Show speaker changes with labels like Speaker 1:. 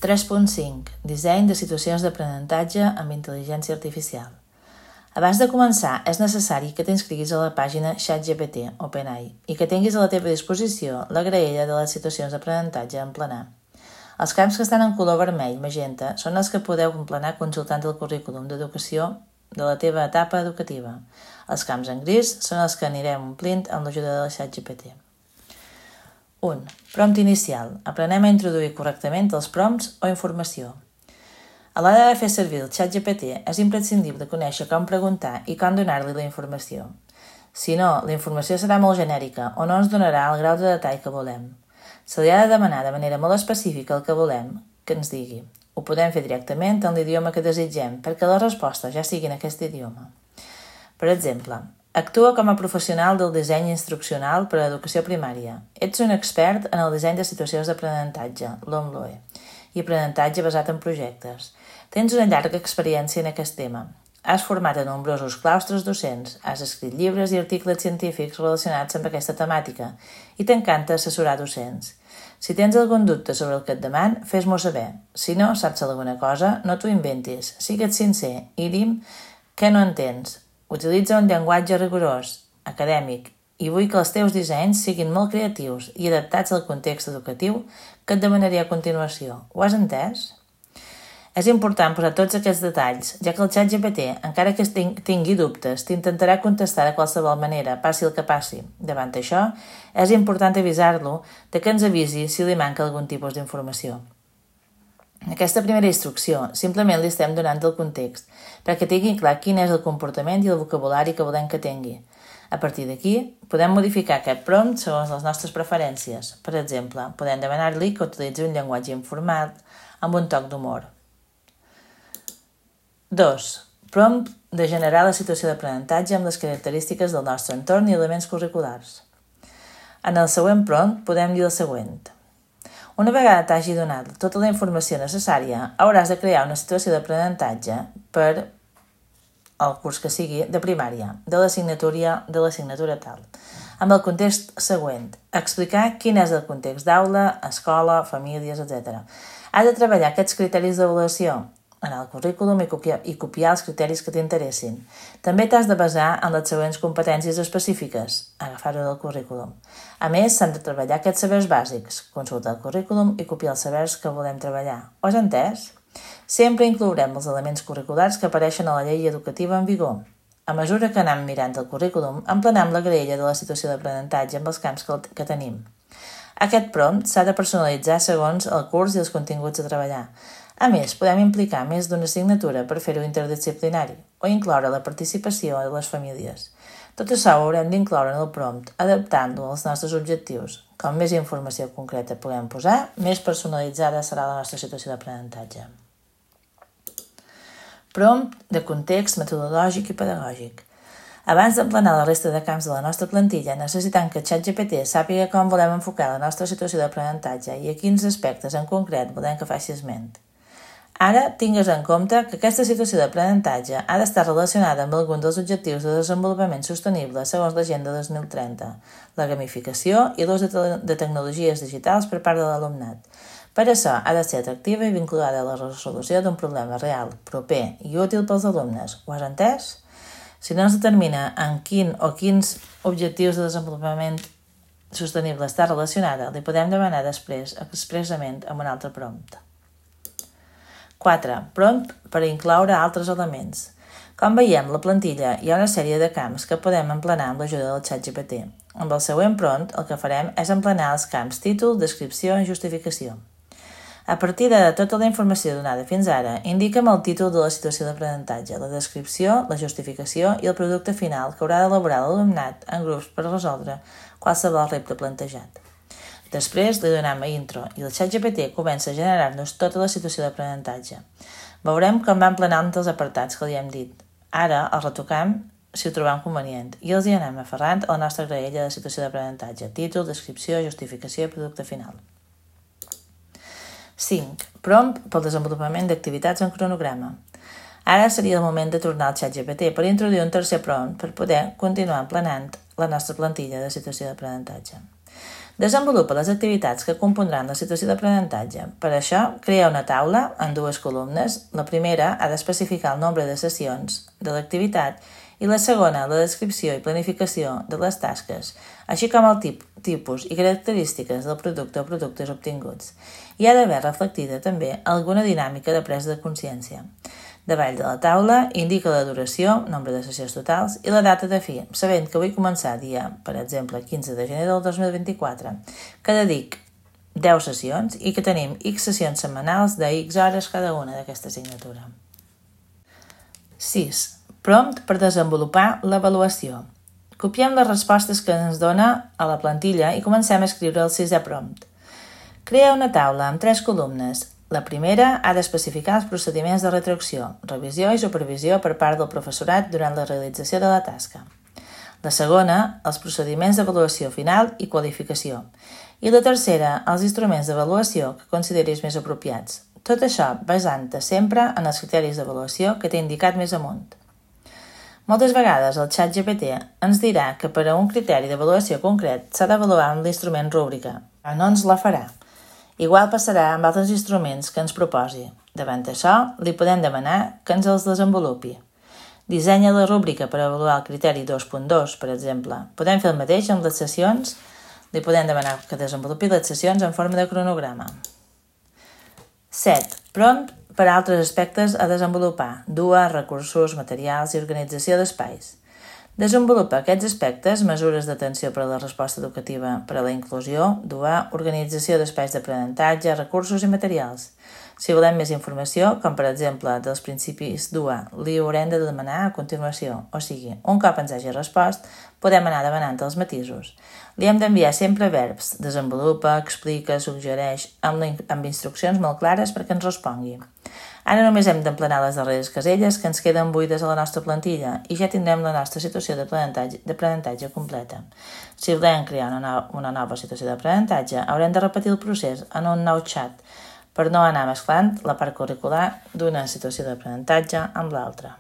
Speaker 1: 3.5. Disseny de situacions d'aprenentatge amb intel·ligència artificial. Abans de començar, és necessari que t'inscriguis a la pàgina ChatGPT OpenAI i que tinguis a la teva disposició la graella de les situacions d'aprenentatge a emplenar. Els camps que estan en color vermell magenta són els que podeu emplenar consultant el currículum d'educació de la teva etapa educativa. Els camps en gris són els que anirem omplint amb l'ajuda de la ChatGPT. 1. Prompt inicial. Aprenem a introduir correctament els prompts o informació. A l'hora de fer servir el ChatGPT és imprescindible conèixer com preguntar i com donar-li la informació. Si no, la informació serà molt genèrica o no ens donarà el grau de detall que volem. Se li ha de demanar de manera molt específica el que volem que ens digui. Ho podem fer directament en l'idioma que desitgem perquè les respostes ja siguin en aquest idioma. Per exemple, actua com a professional del disseny instruccional per a l'educació primària. Ets un expert en el disseny de situacions d'aprenentatge, l'OMLOE, i aprenentatge basat en projectes. Tens una llarga experiència en aquest tema. Has format a nombrosos claustres docents, has escrit llibres i articles científics relacionats amb aquesta temàtica i t'encanta assessorar docents. Si tens algun dubte sobre el que et deman, fes-m'ho saber. Si no saps alguna cosa, no t'ho inventis. Sigue't sincer i dim què no entens. Utilitza un llenguatge rigorós, acadèmic, i vull que els teus dissenys siguin molt creatius i adaptats al context educatiu que et demanaré a continuació. Ho has entès? És important posar tots aquests detalls, ja que el ChatGPT, encara que tingui dubtes, t'intentarà contestar de qualsevol manera, passi el que passi. Davant això, és important avisar-lo de que ens avisi si li manca algun tipus d'informació. En aquesta primera instrucció, simplement li estem donant el context, perquè tingui clar quin és el comportament i el vocabulari que volem que tingui. A partir d'aquí, podem modificar aquest prompt segons les nostres preferències. Per exemple, podem demanar-li que utilitzi un llenguatge informat amb un toc d'humor. 2. Prompt de generar la situació d'aprenentatge amb les característiques del nostre entorn i elements curriculars. En el següent prompt podem dir el següent. Una vegada t'hagi donat tota la informació necessària, hauràs de crear una situació d'aprenentatge per el curs que sigui de primària, de l'assignatura tal, amb el context següent. Explicar quin és el context d'aula, escola, famílies, etc. Has de treballar aquests criteris d'avaluació en el currículum i copiar els criteris que t'interessin. També t'has de basar en les següents competències específiques, agafar-ho del currículum. A més, s'han de treballar aquests sabers bàsics, consultar el currículum i copiar els sabers que volem treballar. Ho has entès? Sempre inclourem els elements curriculars que apareixen a la llei educativa en vigor. A mesura que anem mirant el currículum, emplenem la graella de la situació d'aprenentatge amb els camps que tenim. Aquest prompt s'ha de personalitzar segons el curs i els continguts a treballar. A més, podem implicar més d'una assignatura per fer-ho interdisciplinari o incloure la participació de les famílies. Tot això ho haurem d'incloure en el prompt, adaptant-lo als nostres objectius. Com més informació concreta puguem posar, més personalitzada serà la nostra situació d'aprenentatge. Prompt de context metodològic i pedagògic. Abans d'emplenar la resta de camps de la nostra plantilla, necessitem que ChatGPT sàpiga com volem enfocar la nostra situació d'aprenentatge i a quins aspectes en concret volem que faci esment. Ara, tingues en compte que aquesta situació d'aprenentatge ha d'estar relacionada amb algun dels objectius de desenvolupament sostenible segons l'Agenda 2030, la gamificació i l'ús de tecnologies digitals per part de l'alumnat. Per això, ha de ser atractiva i vinculada a la resolució d'un problema real, proper i útil pels alumnes. Ho has entès? Si no es determina en quins objectius de desenvolupament sostenible està relacionada, li podem demanar després expressament amb un altre prompt. 4. Prompt per incloure altres elements. Com veiem, la plantilla hi ha una sèrie de camps que podem emplenar amb l'ajuda del ChatGPT. Amb el següent prompt, el que farem és emplenar els camps títol, descripció i justificació. A partir de tota la informació donada fins ara, indica'm el títol de la situació d'aprenentatge, la descripció, la justificació i el producte final que haurà d'elaborar l'alumnat en grups per resoldre qualsevol repte plantejat. Després li donem a intro i el ChatGPT comença a generar-nos tota la situació d'aprenentatge. Veurem com va emplenant els apartats que li hem dit. Ara els retocam si ho trobem convenient i els hi anem aferrant a la nostra graella de situació d'aprenentatge, títol, descripció, justificació i producte final. 5. Prompt pel desenvolupament d'activitats en cronograma. Ara seria el moment de tornar al ChatGPT per introduir un tercer prompt per poder continuar emplenant la nostra plantilla de situació d'aprenentatge. Desenvolupa les activitats que compondran la situació d'aprenentatge. Per això, crea una taula en 2 columnes. La primera ha d'especificar el nombre de sessions de l'activitat i la segona, la descripció i planificació de les tasques, així com el tipus i característiques del producte o productes obtinguts. Hi ha d'haver reflectida també alguna dinàmica de presa de consciència. Davall de la taula indica la duració, nombre de sessions totals i la data de fi, sabent que vull començar dia, per exemple, 15 de gener del 2024, que dedic 10 sessions i que tenim X sessions setmanals de X hores cada una d'aquesta assignatura. 6. Prompt per desenvolupar l'avaluació. Copiem les respostes que ens dona a la plantilla i comencem a escriure el 6è prompt. Crea una taula amb 3 columnes. La primera ha d'especificar els procediments de retroacció, revisió i supervisió per part del professorat durant la realització de la tasca. La segona, els procediments d'avaluació final i qualificació. I la tercera, els instruments d'avaluació que consideris més apropiats. Tot això basant-te sempre en els criteris d'avaluació que t'he indicat més amunt. Moltes vegades el ChatGPT ens dirà que per a un criteri d'avaluació concret s'ha d'avaluar amb l'instrument rúbrica, però no ens la farà. Igual passarà amb altres instruments que ens proposi. Davant això, li podem demanar que ens els desenvolupi. Dissenya la rúbrica per avaluar el criteri 2.2, per exemple. Podem fer el mateix amb les sessions. Li podem demanar que desenvolupi les sessions en forma de cronograma. 7. Prompt per a altres aspectes a desenvolupar. DUA, recursos, materials i organització d'espais. Desenvolupa aquests aspectes, mesures d'atenció per a la resposta educativa per a la inclusió, DUA, organització d'espais d'aprenentatge, recursos i materials. Si volem més informació, com per exemple dels principis DUA, li haurem de demanar a continuació, o sigui, un cop ens hagi respost, podem anar demanant els matisos. Li hem d'enviar sempre verbs, desenvolupa, explica, suggereix, amb instruccions molt clares perquè ens respongui. Ara només hem d'emplenar les darreres caselles que ens queden buides a la nostra plantilla i ja tindrem la nostra situació d'aprenentatge completa. Si volem crear una nova situació d'aprenentatge, haurem de repetir el procés en un nou xat per no anar mesclant la part curricular d'una situació d'aprenentatge amb l'altra.